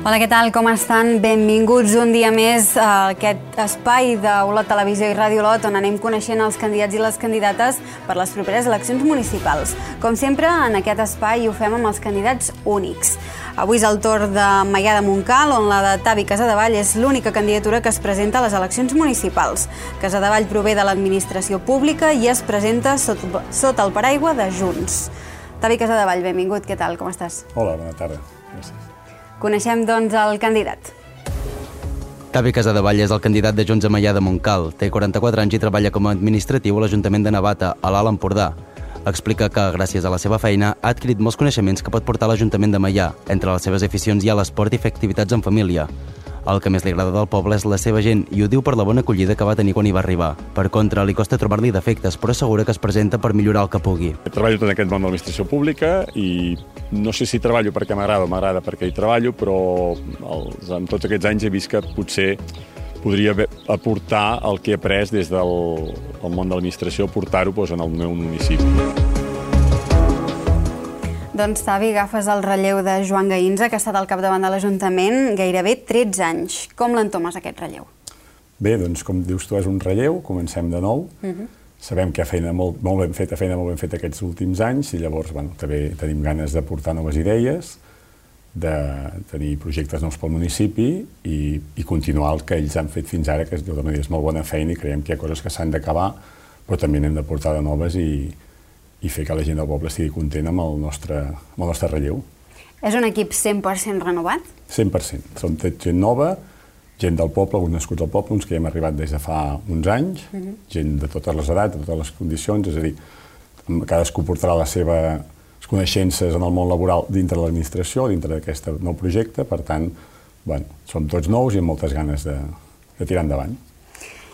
Hola, què tal? Com estan? Benvinguts un dia més a aquest espai d'Olot Televisió i Ràdio Olot, on anem coneixent els candidats i les candidates per les properes eleccions municipals. Com sempre, en aquest espai ho fem amb els candidats únics. Avui és el torn de Maià de Montcal, on la de Tavi Casadevall és l'única candidatura que es presenta a les eleccions municipals. Casadevall prové de l'administració pública i es presenta sota el paraigua de Junts. Tavi Casadevall, benvingut, què tal? Com estàs? Hola, bona tarda. Gràcies. Coneixem, doncs, el candidat. Tavi Casadevall és el candidat de Junts a Maià de Montcal. Té 44 anys i treballa com a administratiu a l'Ajuntament de Navata, a l'Alt Empordà. Explica que, gràcies a la seva feina, ha adquirit molts coneixements que pot portar a l'Ajuntament de Maià. Entre les seves aficions hi ha l'esport i fer activitats en família. El que més li agrada del poble és la seva gent i ho diu per la bona acollida que va tenir quan hi va arribar. Per contra, li costa trobar-li defectes, però assegura que es presenta per millorar el que pugui. Treballo tot aquest món de l'administració pública i no sé si treballo perquè m'agrada o m'agrada perquè hi treballo, però en tots aquests anys he vist que potser podria aportar el que he après des del món de l'administració, aportar-ho en el meu municipi. Doncs, Tavi, agafes el relleu de Joan Gaïnza, que ha estat al capdavant de l'Ajuntament gairebé 13 anys. Com l'entomes, aquest relleu? Bé, doncs, com dius tu, és un relleu, comencem de nou. Sabem que hi ha feina molt ben feta aquests últims anys i llavors també tenim ganes d'aportar noves idees, de tenir projectes nous pel municipi i continuar el que ells han fet fins ara, que és molt bona feina i creiem que hi ha coses que s'han d'acabar, però també n'hem d'aportar de noves i fer que la gent del poble estigui content amb el nostre relleu. És un equip 100% renovat? 100%. Som gent nova, gent del poble, alguns nascuts al poble, uns que hem arribat des de fa uns anys, gent de totes les edats, de totes les condicions, és a dir, cadascú portarà les seves coneixences en el món laboral dintre de l'administració, dintre d'aquest nou projecte, per tant, som tots nous i amb moltes ganes de tirar endavant.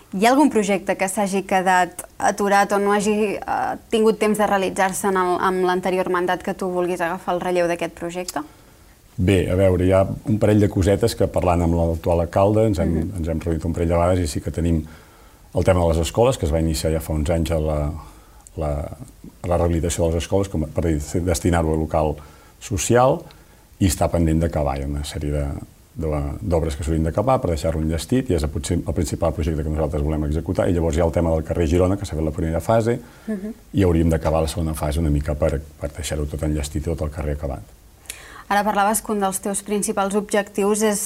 Hi ha algun projecte que s'hagi quedat aturat o no hagi tingut temps de realitzar-se amb l'anterior mandat que tu vulguis agafar el relleu d'aquest projecte? Bé, a veure, hi ha un parell de cosetes que parlant amb l'actual alcalde ens hem reunit un parell de vegades i sí que tenim el tema de les escoles, que es va iniciar ja fa uns anys a la rehabilitació de les escoles per destinar-ho a local social i està pendent d'acabar. Hi ha una sèrie d'obres que s'haurien d'acabar per deixar-lo enllestit i és potser el principal projecte que nosaltres volem executar. I llavors hi ha el tema del carrer Girona, que s'ha fet la primera fase, i hauríem d'acabar la segona fase una mica per deixar-ho tot enllestit i tot el carrer acabat. Ara parlaves que un dels teus principals objectius és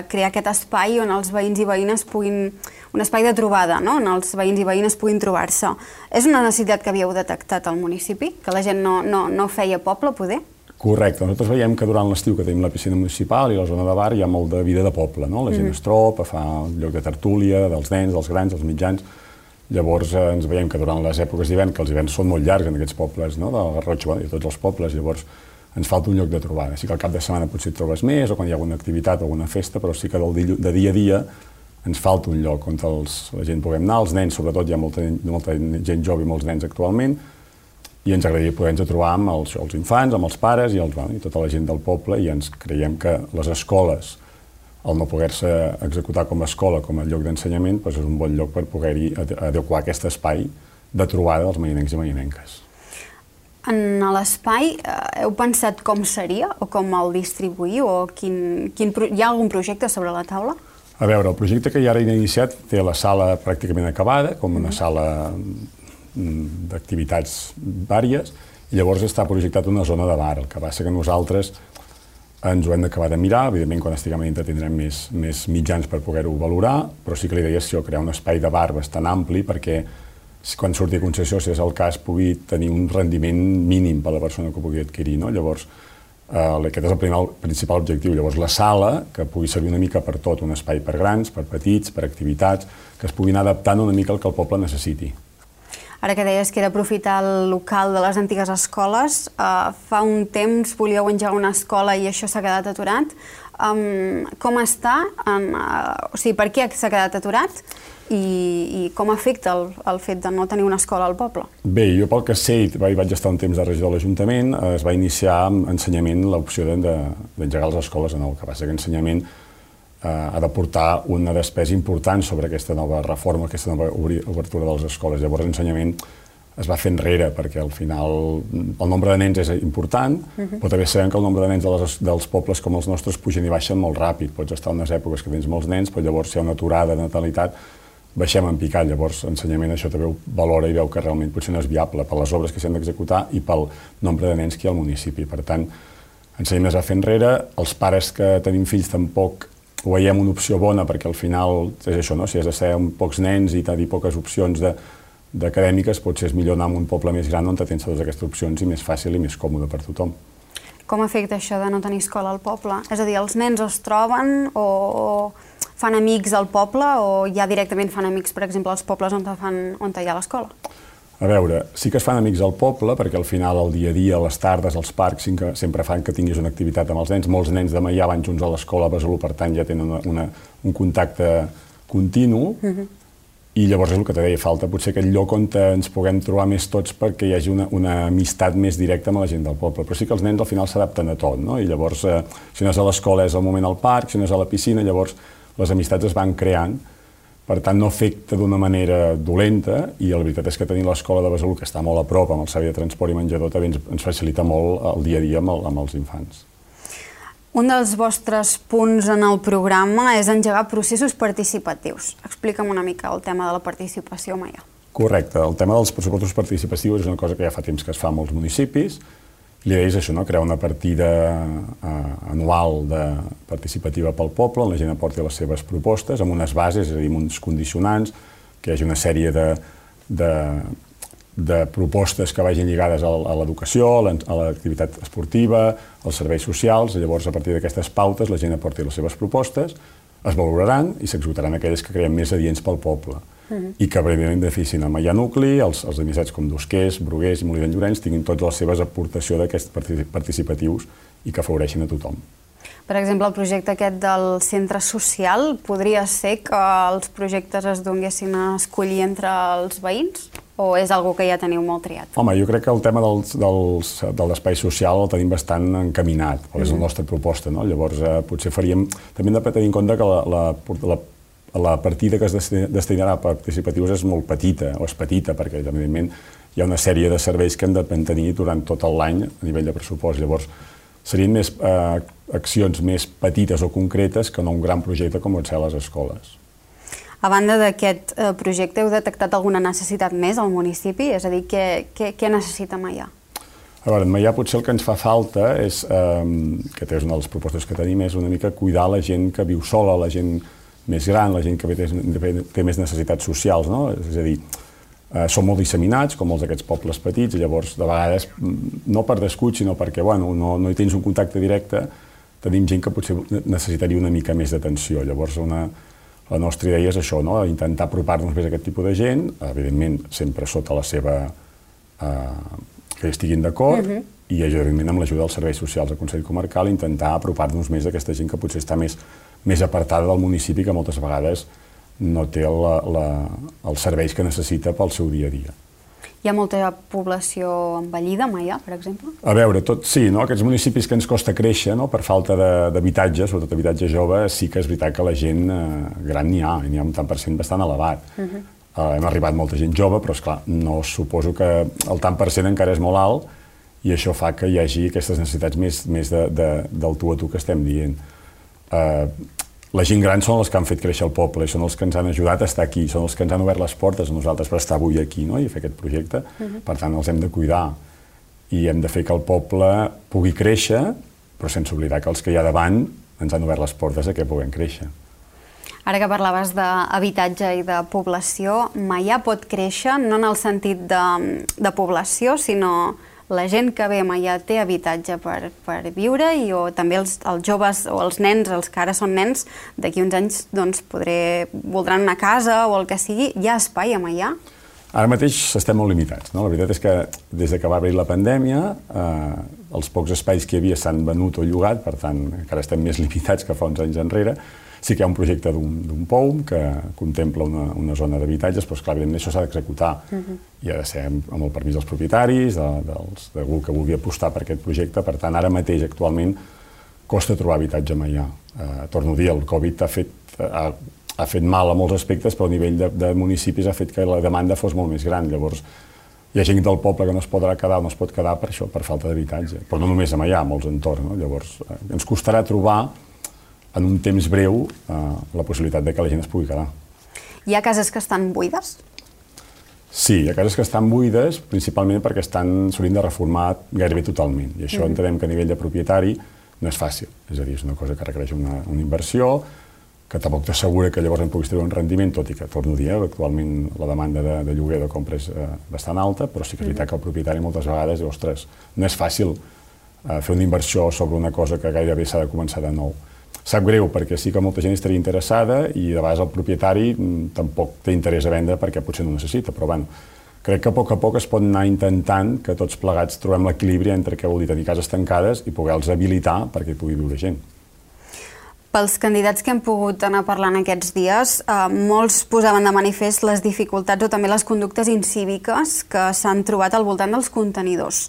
crear aquest espai on els veïns i veïnes puguin... un espai de trobada, on els veïns i veïnes puguin trobar-se. És una necessitat que havíeu detectat al municipi? Que la gent no feia poble, poder? Correcte. Nosaltres veiem que durant l'estiu que tenim la piscina municipal i la zona de bar hi ha molt de vida de poble. La gent es troba, fa un lloc de tertúlia dels nens, dels grans, dels mitjans. Llavors ens veiem que durant les èpoques d'hivern, que els hiverns són molt llargs en aquests pobles, del Garrotx i tots els pobles, llavors ens falta un lloc de trobada. Sí que al cap de setmana potser et trobes més o quan hi ha alguna activitat o alguna festa, però sí que de dia a dia ens falta un lloc on la gent puguem anar. Els nens, sobretot, hi ha molta gent jove i molts nens actualment, i ens agradaria poder-nos trobar amb els infants, amb els pares i tota la gent del poble, i ens creiem que les escoles, al no poder-se executar com a escola, com a lloc d'ensenyament, és un bon lloc per poder-hi adequar aquest espai de trobada dels maianencs i maianenques. En l'espai, heu pensat com seria o com el distribuïu? Hi ha algun projecte sobre la taula? A veure, el projecte que ja ara hem iniciat té la sala pràcticament acabada, com una sala d'activitats vàries, i llavors està projectat una zona de bar. El que passa que nosaltres ens ho hem d'acabar de mirar, evidentment quan estiguem a dintre tindrem més mitjans per poder-ho valorar, però sí que la idea és crear un espai de bar bastant ampli perquè quan surti a concessió, si és el cas, pugui tenir un rendiment mínim per a la persona que ho pugui adquirir. Llavors, aquest és el principal objectiu. Llavors, la sala, que pugui servir una mica per tot, un espai per grans, per petits, per activitats, que es puguin adaptant una mica al que el poble necessiti. Ara que deies que era aprofitar el local de les antigues escoles, fa un temps volíeu engegar una escola i això s'ha quedat aturat. Com està? O sigui, per què s'ha quedat aturat? I com afecta el fet de no tenir una escola al poble? Bé, jo pel que sé, vaig estar un temps de regidor de l'Ajuntament, es va iniciar amb ensenyament l'opció d'engegar les escoles de nou. El que passa que ensenyament ha de portar una despesa important sobre aquesta nova reforma, aquesta nova obertura de les escoles. Llavors, ensenyament es va fer enrere, perquè al final el nombre de nens és important, però també sabem que el nombre de nens dels pobles com els nostres pugen i baixen molt ràpid. Pots estar en unes èpoques que tens molts nens, però llavors si hi ha una aturada de natalitat, baixem en picat. Llavors, l'ensenyament això també ho valora i veu que realment potser no és viable per les obres que s'han d'executar i pel nombre de nens que hi ha al municipi. Per tant, l'ensenyament es va fer enrere, els pares que tenim fills tampoc ho veiem una opció bona, perquè al final és això, no? Si has de ser amb pocs nens i tenir poques opcions d'acadèmiques, potser és millor anar a un poble més gran on tens totes aquestes opcions i més fàcil i més còmode per tothom. Com afecta això de no tenir escola al poble? És a dir, els nens es troben o fan amics al poble o ja directament fan amics, per exemple, als pobles on hi ha l'escola? A veure, sí que es fan amics al poble, perquè al final, el dia a dia, a les tardes, als parcs, sempre fan que tinguis una activitat amb els nens. Molts nens de Maià van junts a l'escola a Besalú, per tant, ja tenen un contacte continu. I llavors és el que te deia, falta potser aquell lloc on ens puguem trobar més tots perquè hi hagi una amistat més directa amb la gent del poble. Però sí que els nens al final s'adapten a tot, no? I llavors, si no és a l'escola és al moment al parc, si no és a la piscina, llavors les amistats es van creant. Per tant, no afecta d'una manera dolenta i la veritat és que tenir l'escola de Besalú, que està molt a prop amb el servei de transport i menjador, també ens facilita molt el dia a dia amb els infants. Un dels vostres punts en el programa és engegar processos participatius. Explica'm una mica el tema de la participació a Maià. Correcte. El tema dels pressupostos participatius és una cosa que ja fa temps que es fa a molts municipis. L'idea és això, no? Crear una partida anual participativa pel poble, on la gent aporti les seves propostes, amb unes bases, és a dir, amb uns condicionants, que hi hagi una sèrie de propostes que vagin lligades a l'educació, a l'activitat esportiva, als serveis socials. Llavors, a partir d'aquestes pautes, la gent aporti les seves propostes, es valoraran i s'executaran aquelles que creiem més adients pel poble. I que breument beneficien a Maià Nucli, els administrats com Dosquers, Bruguers i Molí d'en Llorenç tinguin totes les seves aportacions d'aquests participatius i que afavoreixin a tothom. Per exemple, el projecte aquest del centre social, podria ser que els projectes es donguessin a escollir entre els veïns? O és algo que ja teniu molt triat? Home, jo crec que el tema de l'espai social el tenim bastant encaminat, és la nostra proposta, no? Llavors, potser faríem... També hem de tenir en compte que la partida que es destinarà a participatius és molt petita, o és petita, perquè, evidentment, hi ha una sèrie de serveis que hem de tenir durant tot l'any a nivell de pressupost. Llavors, serien més accions més petites o concretes que no un gran projecte com pot ser a les escoles. A banda d'aquest projecte, heu detectat alguna necessitat més al municipi? És a dir, què necessita Maià? A veure, en Maià potser el que ens fa falta és, que és una de les propostes que tenim, és una mica cuidar la gent que viu sola, la gent més gran, la gent que té més necessitats socials, no? És a dir, són molt disseminats, com molts d'aquests pobles petits, i llavors, de vegades, no per descuit, sinó perquè no hi tens un contacte directe, tenim gent que potser necessitaria una mica més d'atenció. Llavors, la nostra idea és això, no? Intentar apropar-nos més a aquest tipus de gent, evidentment, sempre sota la seva... que estiguin d'acord, i evidentment amb l'ajuda dels serveis socials del Consell Comarcal intentar apropar-nos més a aquesta gent que potser està més apartada del municipi, que moltes vegades no té els serveis que necessita pel seu dia a dia. Hi ha molta població envellida a Maià, per exemple? A veure, sí, no? Aquests municipis que ens costa créixer, no? Per falta d'habitatge, sobretot habitatge jove, sí que és veritat que la gent gran n'hi ha un tant per cent bastant elevat. Hem arribat molta gent jove, però esclar, no suposo que el tant per cent encara és molt alt i això fa que hi hagi aquestes necessitats més del tu a tu que estem dient. La gent gran són els que han fet créixer el poble i són els que ens han ajudat a estar aquí, són els que ens han obert les portes a nosaltres per estar avui aquí, no? I fer aquest projecte. Per tant, els hem de cuidar i hem de fer que el poble pugui créixer, però sense oblidar que els que hi ha davant ens han obert les portes a que puguem créixer. Ara que parlaves d'habitatge i de població, Maià pot créixer no en el sentit de població, sinó la gent que ve a Maià té habitatge per viure i també els joves o els nens, els que ara són nens, d'aquí uns anys voldran una casa o el que sigui. Hi ha espai a Maià? Ara mateix estem molt limitats, no? La veritat és que des que va haver la pandèmia, els pocs espais que hi havia s'han venut o llogat, per tant, encara estem més limitats que fa uns anys enrere. Sí que hi ha un projecte d'un POUM que contempla una zona d'habitatges, però esclar, evidentment això s'ha d'executar i ha de ser amb el permís dels propietaris, d'algú que vulgui apostar per aquest projecte. Per tant, ara mateix, actualment, costa trobar habitatge a Maià. Torno a dir, el Covid ha fet mal a molts aspectes, però a nivell de municipis ha fet que la demanda fos molt més gran. Llavors, Hi ha gent del poble que no es podrà quedar o no es pot quedar per això, per falta d'habitatge. Però no només a Meià, a molts entorns, no? Llavors, ens costarà trobar en un temps breu la possibilitat de que la gent es pugui quedar. Hi ha cases que estan buides? Sí, hi ha cases que estan buides, principalment perquè s'haurien de reformar gairebé totalment. I això entenem que a nivell de propietari no és fàcil. És a dir, és una cosa que requereix una inversió, que tampoc t'assegura que llavors en puguis treure un rendiment, tot i que, torno a dir, actualment la demanda de lloguer o de compra és bastant alta, però sí que és veritat que el propietari moltes vegades diu, ostres, no és fàcil fer una inversió sobre una cosa que gairebé s'ha de començar de nou. Sap greu, perquè sí que molta gent estaria interessada i de vegades el propietari tampoc té interès a vendre perquè potser no necessita, però bueno, crec que a poc es pot anar intentant que tots plegats trobem l'equilibri entre què vol dir tenir cases tancades i poder-los habilitar perquè hi pugui viure gent. Pels candidats que hem pogut anar parlant aquests dies, molts posaven de manifest les dificultats o també les conductes incíviques que s'han trobat al voltant dels contenidors,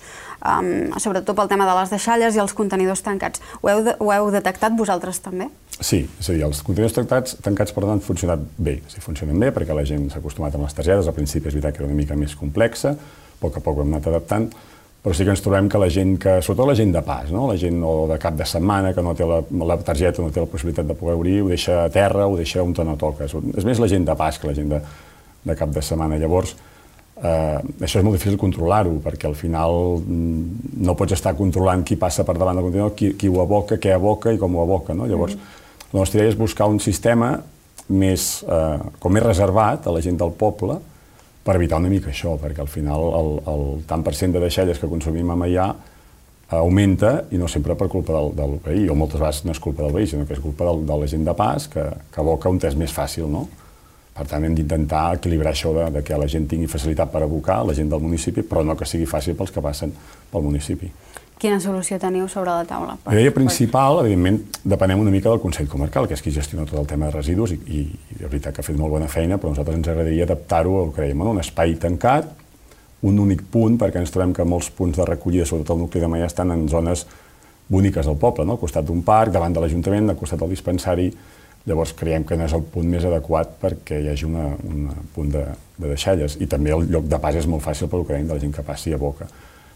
sobretot pel tema de les deixalles i els contenidors tancats. Ho heu detectat vosaltres també? Sí, és a dir, els contenidors tancats per tant han funcionat bé. Funcionen bé perquè la gent s'ha acostumat amb les targetes, al principi és veritat que era una mica més complexa, a poc ho hem anat adaptant, però sí que ens trobem que la gent, sobretot la gent de pas, la gent de cap de setmana, que no té la targeta, no té la possibilitat de poder obrir, ho deixa a terra, ho deixa on no toca. És més la gent de pas que la gent de cap de setmana. Llavors, això és molt difícil controlar-ho, perquè al final no pots estar controlant qui passa per davant del contenidor, qui ho aboca, què aboca i com ho aboca. La nostra idea és buscar un sistema com més reservat a la gent del poble, per evitar una mica això, perquè al final el tant per cent de deixalles que consumim a Meià augmenta i no sempre per culpa del veí, o moltes vegades no és culpa del veí, sinó que és culpa de la gent de pas que aboca on és més fàcil, no? Per tant, hem d'intentar equilibrar això de que la gent tingui facilitat per abocar, la gent del municipi, però no que sigui fàcil pels que passen pel municipi. Quina solució teniu sobre la taula? La idea principal, evidentment, depenem una mica del Consell Comarcal, que és qui gestiona tot el tema de residus i de veritat que ha fet molt bona feina, però a nosaltres ens agradaria adaptar-ho al que dèiem, un espai tancat, un únic punt, perquè ens trobem que molts punts de recollida, sobretot el nucli de Meià, estan en zones boniques del poble, al costat d'un parc, davant de l'Ajuntament, al costat del dispensari. Llavors creiem que no és el punt més adequat perquè hi hagi un punt de deixalles. I també el lloc de pas és molt fàcil pel que dèiem de la gent que passi a boca.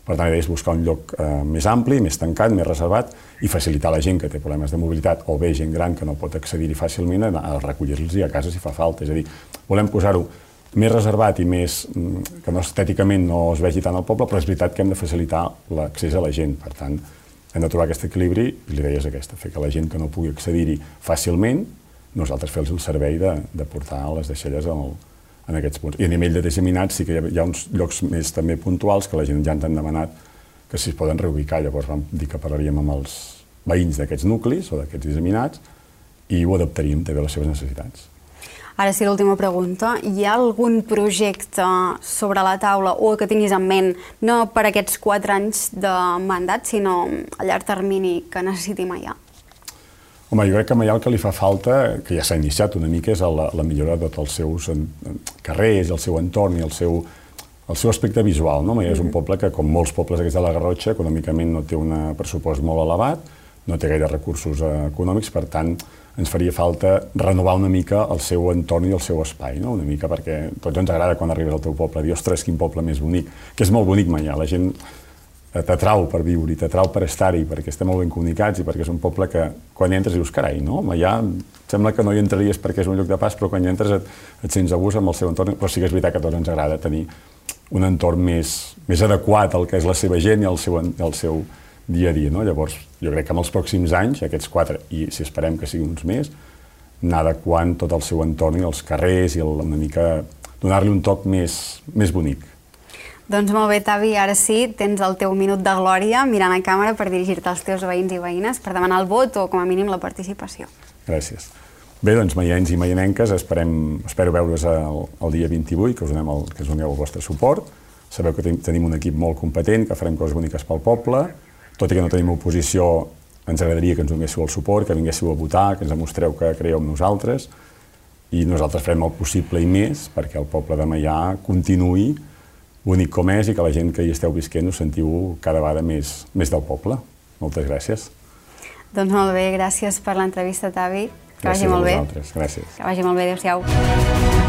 Per tant, la idea és buscar un lloc més ampli, més tancat, més reservat i facilitar a la gent que té problemes de mobilitat o bé gent gran que no pot accedir-hi fàcilment a recollir-los a casa si fa falta. És a dir, volem posar-ho més reservat i més que estèticament no es vegi tant al poble, però és veritat que hem de facilitar l'accés a la gent. Per tant, hem de trobar aquest equilibri i l'idea és aquesta, fer que la gent que no pugui accedir-hi fàcilment, nosaltres fer-los el servei de portar les deixalles en aquests punts. I a nivell de disseminats sí que hi ha uns llocs més també puntuals que la gent ja ens han demanat que si es poden reubicar. Llavors vam dir que parlaríem amb els veïns d'aquests nuclis o d'aquests disseminats i ho adaptaríem també a les seves necessitats. Ara sí, l'última pregunta. Hi ha algun projecte sobre la taula o que tinguis en ment, no per aquests 4 anys de mandat, sinó a llarg termini que necessiti Meià? Home, jo crec que a Meià el que li fa falta, que ja s'ha iniciat una mica, és la millora de tots els seus carrers, el seu entorn i el seu aspecte visual. Meià és un poble que, com molts pobles d'aquests de la Garrotxa, econòmicament no té un pressupost molt elevat, no té gaire recursos econòmics, per tant, ens faria falta renovar una mica el seu entorn i el seu espai, una mica perquè a tots ens agrada quan arribes al teu poble, dir, ostres, quin poble més bonic, que és molt bonic Meià, la gent t'atrau per viure-hi, t'atrau per estar-hi, perquè estem molt ben comunicats i perquè és un poble que quan hi entres dius, carai, no? Meià sembla que no hi entraries perquè és un lloc de pas, però quan hi entres et sents a gust amb el seu entorn, però sí que és veritat que a tots ens agrada tenir un entorn més adequat al que és la seva gent i al seu dia a dia, no? Llavors, jo crec que en els pròxims anys, aquests 4, i si esperem que siguin uns més, anar adequant tot el seu entorn i els carrers i una mica donar-li un toc més bonic. Doncs molt bé, Tavi, ara sí, tens el teu minut de glòria mirant a càmera per dirigir-te als teus veïns i veïnes per demanar el vot o, com a mínim, la participació. Gràcies. Bé, doncs, meiencs i meienenques, espero veure's el dia 28, que us doneu el vostre suport. Sabeu que tenim un equip molt competent, que farem coses boniques pel poble. Tot i que no tenim oposició, ens agradaria que ens donéssiu el suport, que vinguéssiu a votar, que ens demostreu que creieu en nosaltres. I nosaltres farem el possible i més perquè el poble de Meià continuï bonic com és i que la gent que hi esteu visquent us sentiu cada vegada més del poble. Moltes gràcies. Doncs molt bé, gràcies per l'entrevista, Tavi. Que vagi molt bé. Gràcies a vosaltres. Gràcies. Que vagi molt bé, adéu-siau.